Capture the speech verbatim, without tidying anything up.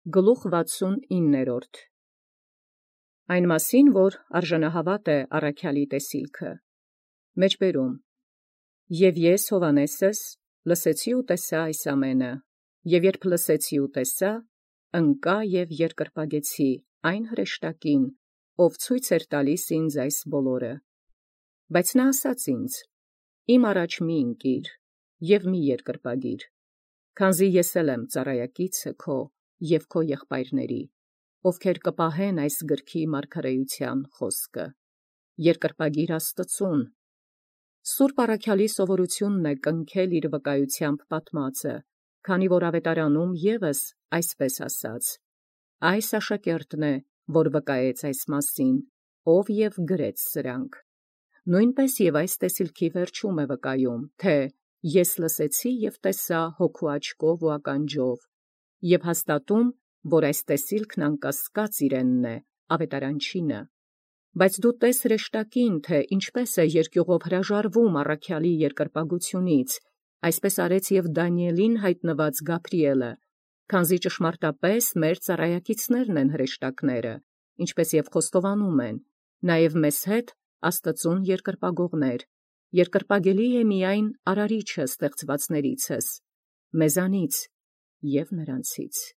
Գլուխ վաթսունիններորդ. Այն մասին, որ արժանահավատ է առաքյալի տեսիլքը, մեջբերում. Եւ ես Հովհաննեսս լսեցի ու տեսա այս ամենը, եւ երբ լսեցի ու տեսա, ընկա եւ երկրպագեցի այն հրեշտակին, ով ցույց էր տալիս ինձ այս բոլորը. բայց նա ասաց ինձ. իմ առաջ մի ընկիր եւ մի երկրպագիր, քանզի ես էլ եմ ծառայակիցը քո և քո եղբայրների, ովքեր կպահեն այս գրքի մարգարեության խոսքը, երկրպագիր Աստծուն. Սուրբ առաքյալի սովորութիւնն է կնքել իր վկայութեամբ պատմածը, քանի որ ավետարանում ևս այսպես ասաց. այս աշակերտն է, որ վկայեց այս մասին, ով և գրեց սրանք. նույնպես և այս տեսիլքի վերջում է վկայում, թե ես լսեցի և տեսա հոգու աչքով ու ականջով, և հաստատում, որ այս տեսիլքն անկասկած իրենն է, ավետարանչինը. բայց դու տես հրեշտակին, թե ինչպես է երկյուղով հրաժարվում առաքյալի երկրպագությունից, այսպես արեց և Դանիէլին յայտնված Գաբրիէլը, քանզի ճշմարտապէս մեր ծառայակիցներն են հրեշտակները, ինչպես և խոստովանում են, նաև մեզ հետ Աստծուն երկրպագողներ, երկրպագելի է միայն արարիչը ստեղծվածներիցս, մեզանից և նրանցից։